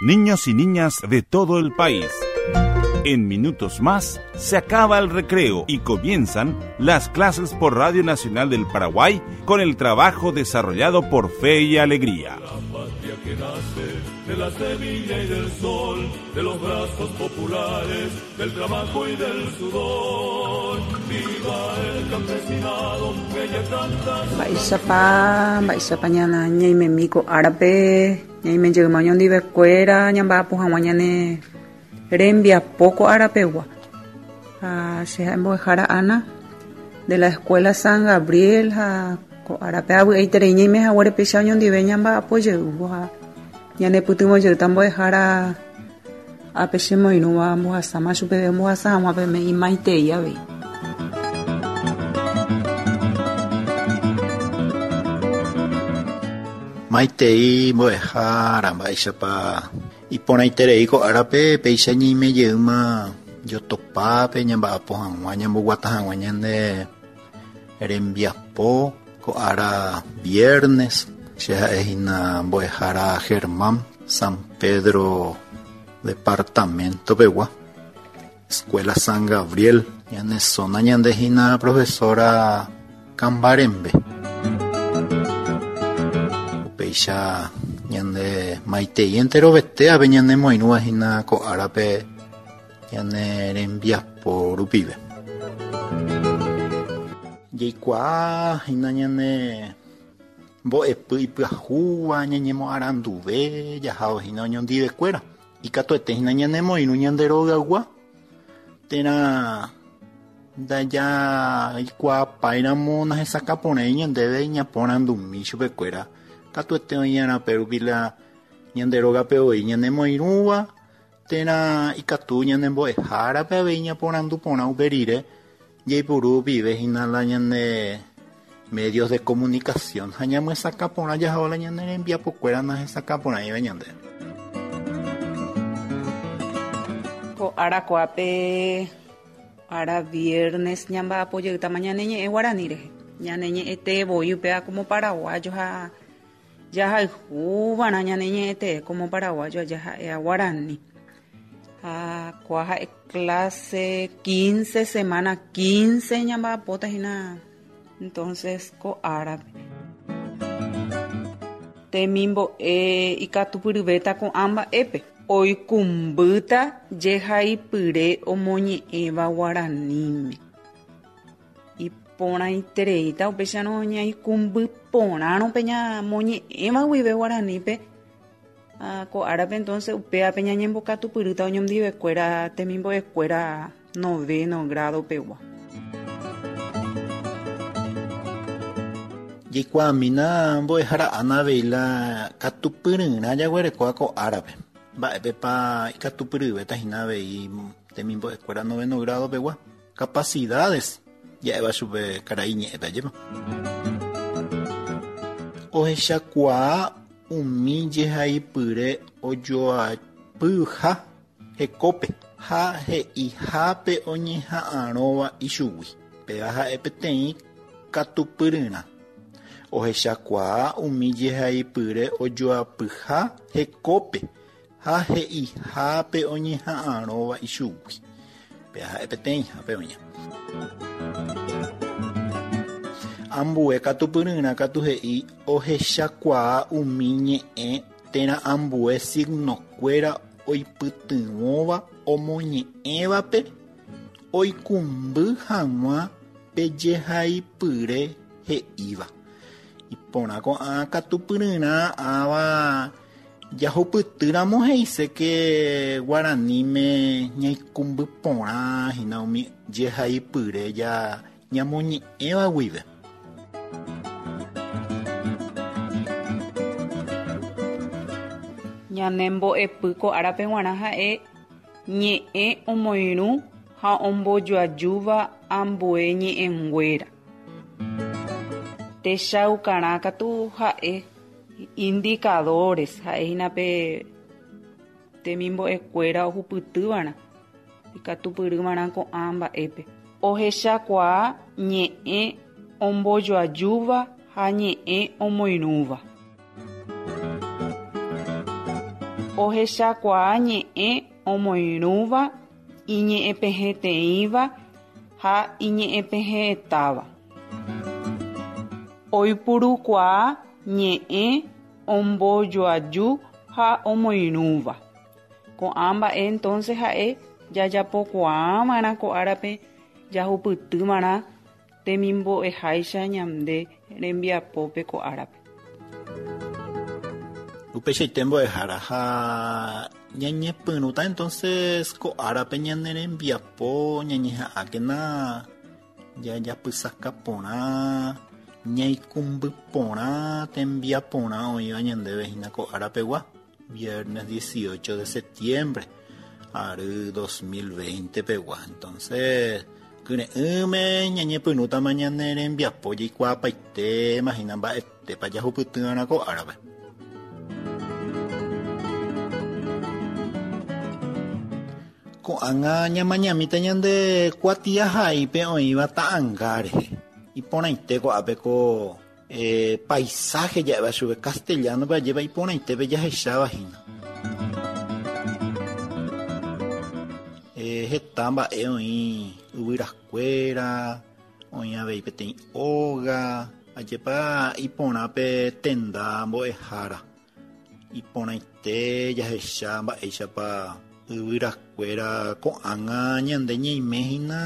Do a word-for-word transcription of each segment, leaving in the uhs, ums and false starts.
Niños y niñas de todo el país. En minutos más se acaba el recreo y comienzan las clases por Radio Nacional del Paraguay con el trabajo desarrollado por Fe y Alegría. La patria que nace de la semilla y del sol, de los brazos populares, del trabajo y del sudor. Viva el campesinado que ya canta. Mba'éichapa, mba'éichapa ñana ñaimemi ko árape, ñaime jeyma oñondivekuéra, ñamba'apo hag̃ua ñane rembiapo ko árapegua. Ha che ha'e mbo'ehára Ana de la Escuela San Gabriel ha ko árape avy'aiterei ñaime haguére péicha oñondive ñamba'apo jeývo ha ñanepytyvõ jeýta mbo'ehára ápe chemoirũva mbohasáma chupeve ombohasa hag̃ua peme imaitei avei. Maitei mbo'ehára mba'éichapa iporãiterei ko árape péicha ñaime jeýma jotopápe ñamba'apo hag̃ua ñamboguata hag̃ua ñande rembiapo ko ára viernes che ha'ehína mbo'ehára Germán San Pedro departamento pegua Escuela San Gabriel ñane zona ñandehína profesora Kambarembe upéicha ñande maitei enterovete ave ñanemoirũvahína ko árape ñane rembiapo rupive. Jaikuaahína ñane mbo'epy ipyahúva ñañemoaranduve jahávo hína oñondivekuéra ikatuetehína ñanemoirũ ñande rogaygua térã ndajaikuaapáiramo nahesakãporãi ñandéve ñaporandumi chupekuéra katuete oĩ'arã pérupi la ñande rógape voi ñanemoirũva térã ikatu ñanembo'ehárape avei ñaporandu porã upe rire jaipuru rupive hína la ñane medios de comunicación ha ñamyesakãporã jahávo la ñane rembiapokuéra nahesakãporãiva ñandéve. Ko ára ko'ápe ára viernes ñamba'apo jeýtama ñane ñe'ẽ guarani rehe. Ñane ñe'ẽte voi upéva como paraguayo ha jahayhúva'erã ñane ñe'ẽte como paraguayo jaha'éva guarani. Ha kóa ha'e clase quince, semana quince ñamba'apóta hína entonces ko árape. Temimbo'e ikatupyryvéta ko'ã mba'épe. Oikũmbýta jehaipyre omoñe'ẽva guaraníme. Iporãitereíta upéicharõ ñaikũmby porãrõ pe ñamoñe'ẽva guive guaranípe ha ko árape entonces upévape ñañembokatupyrýta oñondivekuéra temimbo'ekuéra noveno grado pegua. Jaikuaamína mbo'ehára Ana avei la katupyryrã jaguerekóva ko árape. Mba'épepa ikatupyryvéta hína avei temimbo'ekuéra noveno grado pegua. Capacidades ja'éva chupe karai ñe'ẽpe ajépa. Ohechakuaa umi jehaipyre ojoapyha hekópe ha he'ihápe oñeha'ãrõva ichugui. Péva ha'e peteĩ katupyryrã. Ohechakuaa umi jehaipyre ojoapyha hekópe ha he'ihápe oñeha'ãrõva ichugui. Péva ha'e peteĩhápe oña. Ambue katupyryrã katu he'i ohechakuaa umi ñe'ẽ térã ambue signokuéra oipytyvõva omoñe'ẽvape oikũmby hag̃ua pe jehaipyre he'íva. Iporã ko'ã katupyryrã ãva jahupytýramo he'ise que guaraníme ñaikũmby porã hína umi jehaipyre ja ñamoñe'ẽva guive. Ñanembo'epy ko árape g̃uarã ha'e ñe'ẽ omoirũ ha ombojoajúva ambue ñe'ẽnguéra. Techaukarã katu ha'e indicadores ha'ehína pe temimbo'ekuéra ohupytýva'erã ikatupyryva'erã ko'ã mba'épe. Ohechakuaa ñe'ẽ ombojoajúva ha ñe'ẽ omoirũva. Ohechakuaa ñe'ẽ omoirũva iñe'ẽpehẽteĩva ha iñe'ẽpehẽetáva. Oipurukuaa ñe'ẽ ombojoaju ha omoirũva. Ko'ã mba'e entonces ha'e jajapokuaava'erã ko árape jahupytýmarã temimbo'eháicha ñande rembiapópe ko árape. Upeichaite mbo'ehára ha ñañepyrũta entonces ko árape ñane rembiapo ñañeha'ãkena jajapysaka porã ñaikũmby porã tembiaporã oĩva ñandéve hína ko árapegua viernes dieciocho de septiembre ary dos mil veinte pegua. Entonces kyre'ỹme ñañepyrũtama ñane rembiapo jaikuaapaite hína mba'etépa jahupytyva'erã ko árape. Ko'ág̃a ñamañamíta ñande kuatiahaípe oĩva ta'ãnga rehe. Iporãite ko'ápe ko eh, paisaje ja'éva chupe castellano-pe ajépa iporãitépe jahecháva hína. Eh, heta mba'e oĩ yvyrakuéra, oĩ avei peteĩ óga, ajépa iporãpe tenda mbo'ehára. Iporãite jahecha mba'éichapa yvyrakuéra ko'ág̃a ñande ñaime hína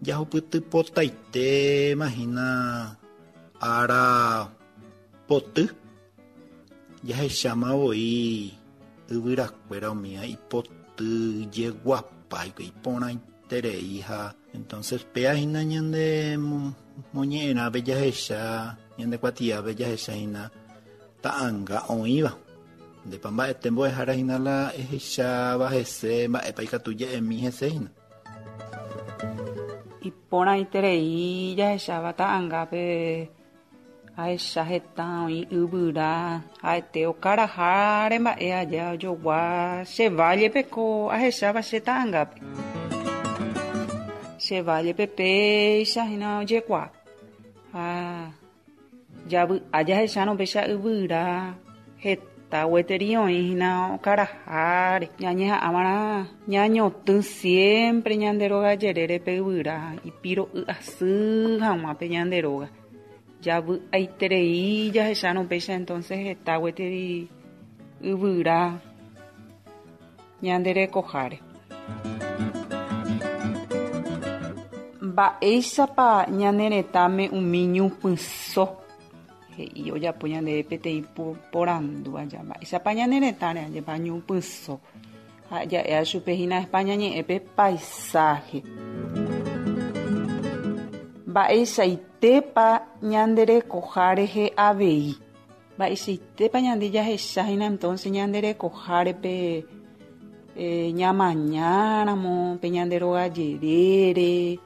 jahupytypotaitéma hína ára poty jahecháma voi yvyrakuéra umíva ipoty jeguapáikue iporãiterei ha entonces péa hína ñande moñe'ẽrãpe jahecha ñande kuatiápe jahecha hína ta'ãnga oĩva. Ndépa mba'ete mbo'ehára hína la ehecháva hese mba'épa ikatu ja'emi hese hína. Iporãiterei jahecháva ta'ãngápe ahecha heta oĩ yvyra ha'ete okaraháre mba'e aja ojogua che vallepe ko ahecháva che ta'ãngápe. Che vallepe péicha hína ojekuaa. Ha javy'a jahechárõ péicha yvyra heta gueteri oĩ hína okaraháre. Ñañeha'ãva'erã ñañotỹ siempre ñande róga jerérepe yvyra ipiro'y asy hag̃ua pe ñande róga. Javy'aiterei jahechárõ péicha entonces heta gueteri yvyra ñande rekoháre. Mba'éichapa ñane retãme umi ñupyso he'i ojapo ñandéve peteĩ porandu aja. Mba'éichapa ñane retãre ajépa ñupyso ha ja'éva chupe hína España ñe'ẽpe paisaje. Mba'eichaitépa ñande rekoha rehe avei. Mba'eichaitépa ñande jahecha hína entonces ñande rekoháre pe eh, ñamañáramo pe ñande róga jerére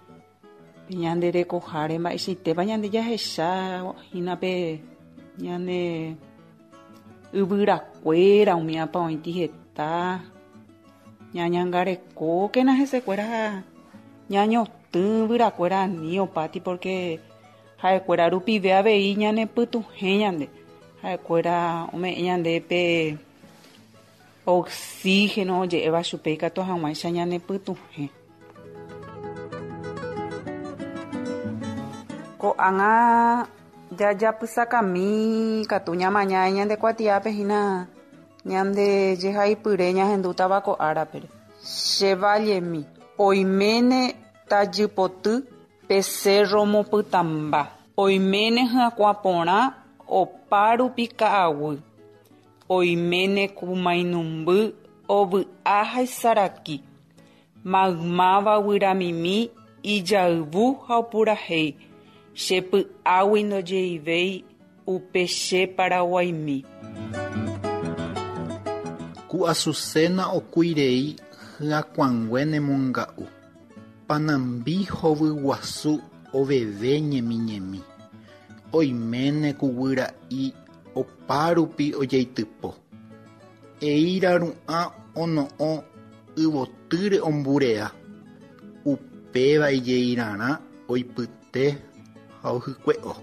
pe ñande rekoháre mba'eichaitépa ñande jahecha hína pe ñane yvyrakuéra umíapa oĩti heta ñañangarekókena hesekuéra ñañotỹ yvyrakuéra ani opáti porque ha'ekuéra rupive avei ñanepytuhẽ ñande ha'ekuéra ome'ẽ ñande pe oxígeno oje'éva chupe ikatu hag̃uáicha ñanepytuhẽ. Ko'ág̃a jajapysakami katu ñamaña ñande kuatiápe hína ñande jehaipyre ñahendútava ko árapere. Che vallemi oiméne tajypoty pe cerro mopytãmba oiméne hyakuã porã opárupi ka'aguy oiméne kumainumby ovy'a ha isaraki maymáva guyramimi ijayvu ha opurahéi che py'águi ndojeivéi upe che Paraguaimi. Ku Azucena okuirei hyakuãngue nemonga'u panambi hovyguasu oveve ñemiñemi oiméne ku guyra'i opárupi ojeitypo eíra ru'ã ono'õ yvotýre omburea upéva ijeirarã oipyte ha ohykue'o.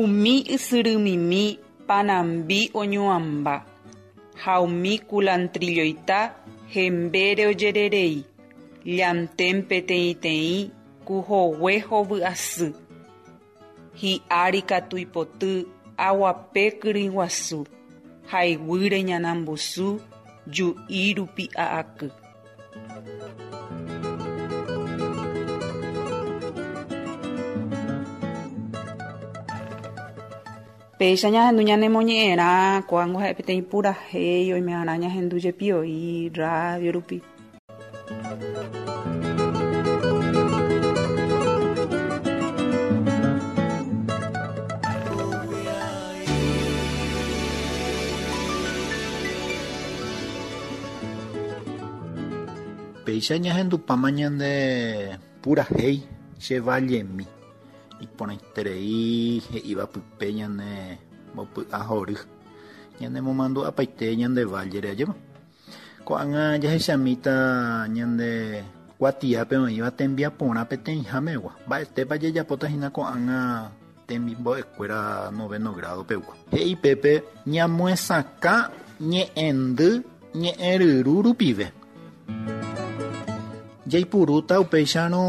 Umi ysyrymimi panambi oñuamba ha umi culantrilloita hembére ojererei llantén peteĩteĩ kuhogue hovy'asy hi'ári katu ipoty aguape kyrỹiguasu ha iguýre ñanambusu ju'i rupi'a'aky. Péicha ñahendu ñanemoñe'ẽrã ko'ág̃a ha'e peteĩ purahéi oime'arã ñahendu jepi oĩ radio rupi. Péicha ñahendupáma ñande purahéi che vallemi. Iporãiterei he'íva pype ñane mbopy'ahory ñanemomandu apaite ñande valle ajépa. Ko'ág̃a jahechamíta ñande kuatiápe oĩva tembiaporã peteĩhámegua. Mba'etépa jajapóta hína ko'ág̃a temimbo'ekuéra noveno grado pegua. He'i pépe ñamoesakã ñe'ẽndy ñe'ẽryru rupive. Jaipurúta upéicharõ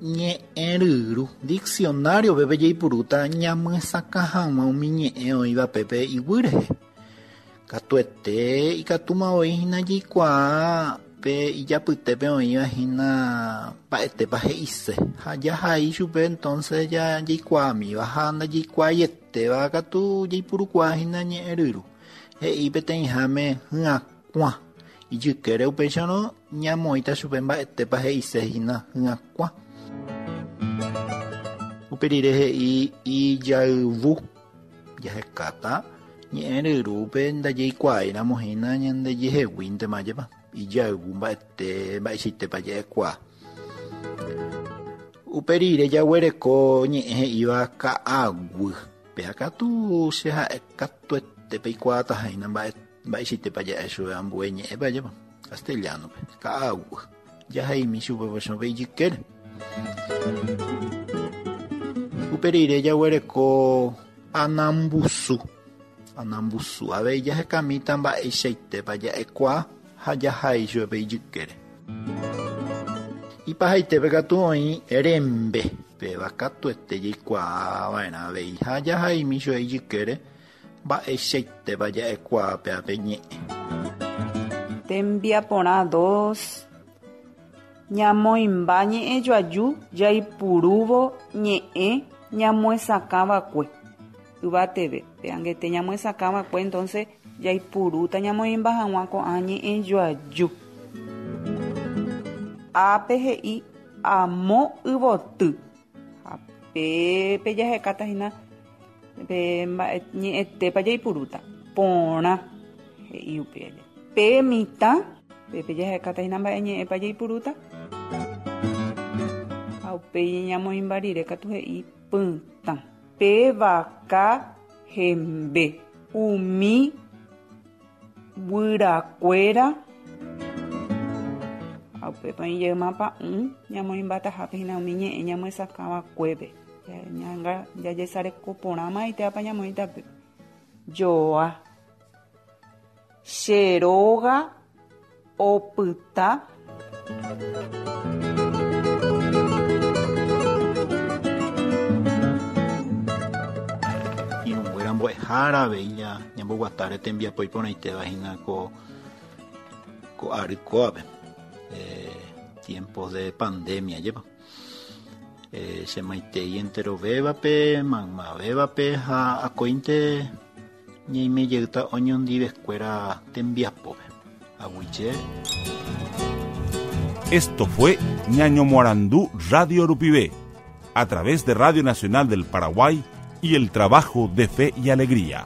ñe'ẽryru diccionario pépe jaipurúta ñamyesakã hag̃ua umi ñe'ẽ oĩva pépe iguy rehe. Katuete ikatúma oĩ hína jaikuaa pe ijapytépe oĩva hína mba'etépa he'ise ha jahai chupe entonces jaikuaamíva ha ndajaikuaaietéva katu jaipurukuaa hína ñe'ẽryru. He'i peteĩháme hyakuã ijykére upéicharõ ñamoĩta chupe mba'etépa he'ise hína hyakuã. Upe rire he'i ijayvu jahekáta ñe'ẽryrúpe ndajaikuaáiramo hína ñandejeheguíntema jepa ijayvu mba'ete mba'eichaitépa ja'ekuaa. Upe rire jaguereko ñe'ẽ he'íva ka'aguy péa katu che ha'e katuete peikuaataháina mba'e mba'eichaitépa ja'e chupe ambue ñe'ẽpe ajépa castellano-pe ka'aguy jahaimi chupe chupe ijykére. Upe rire jaguereko anambusu anambusu avei jahekamíta mba'eichaitépa ja'ekuaa ha jahai chupe ijykére. Ipahaitépe katu oĩ rembe péva katuete jaikuaava'erã avei ha jahaimi chupe ijykére mba'eichaitépa ja'ekuaa péape ñe'ẽ. Tembiaporã dos. Ñamoĩmba ñe'ẽjoaju jaipurúvo ñe'ẽ ñamoesakãva'ekue yvateve. Pe angete ñamoesakãva'ekue entonces jaipurúta ñamoĩmba hag̃ua ko'ã ñe'ẽjoaju. Ápe he'i amo yvoty. Ha pépe jahekáta hína pe mba'e ñe'ẽtépa jaipurúta. Porã he'i upe aja. Pe mitã pépe jahekáta hína mba'e ñe'ẽpa jaipurúta. Ha upéi ñamoĩmba rire katu he'i pytã. Pe vaka hembe. Umi guyrakuéra ha upépa ijeymapa'ũ ñamoĩmbatahápe hína umi ñe'ẽ ñamoesakãva'ekuépe. Jajesareko porãma itéapa ñamoĩta joa. Che róga opyta. Irũnguéra mbo'ehára avei ñamboguatáre tembiapo iporãitéva hína ko ko ary kóvape. Eh, tiempos de pandemia jepa. Eh, chemaitei enterovévape, maymavévape ha akóinte ñaimejeyta oñondivekuéra tembiapópe. Aguyje. Esto fue Ñaño Morandú Radio Rupivé, a través de Radio Nacional del Paraguay y el trabajo de Fe y Alegría.